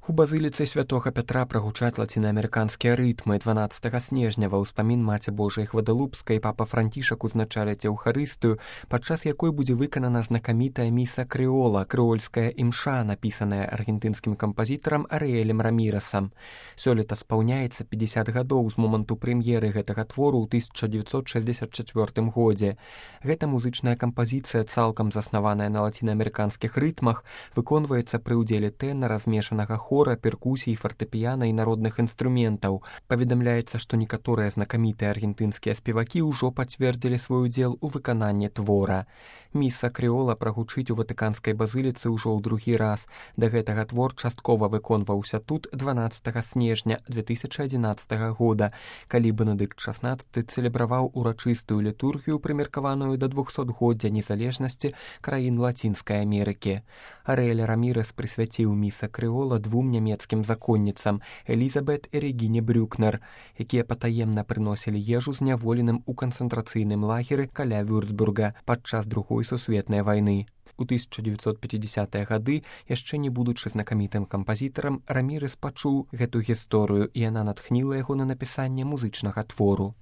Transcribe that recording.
У базыліцы святога Пятра прагучаць лацінаамерыканскія рытмы. 12 снежня ва ўспамін Маці Божай Гвадалупскай папа Францішак узначаліць еўхарыстыю, падчас якой будзе выканана знакамітая міса крэола, крэольская імша, напісаная аргентынскім кампазітарам Арыэлем Рамірасам. Сёлета спаўняецца 50 гадоў з моманту прэм'еры гэтага твору ў 1964 годзе. Гэта музычная кампазіцыя, цалкам заснаваная на лацінаамерыканскіх рытмах, выконваецца пры ўдзеле тэнара, змешанага хора, перкусій, фартэпіяна і народных інструментаў. Паведамляецца, што некаторыя знакамітыя аргентынскія спевакі ўжо пацвердзілі свой удзел у выкананні твора. Міса крэола прагучыць у ватыканскай базыліцы ўжо ў другі раз. Да гэтага твор часткова выконваўся тут 12 снежня 2011 года, калі Бенедыкт XVI цэлебраваў урачыстую літургію, прымеркаваную да 200-годдзя незалежнасці краін Лацінскай Амерыкі. Арыэль Рамірас прысвяціў міса крэола двум нямецкім законніцам Элізабет і Регіне Брюкнер, якія патаемна прыносілі ежу зняволеным у канцэнтрацыйным лагеры каля Вюрцбурга падчас Другой сусветнай вайны. У 1950-е гады, яшчэ не будучы знакамітым кампазітарам, Рамірас пачуў гэту гісторыю, і яна натхніла яго на напісанне музычнага твору.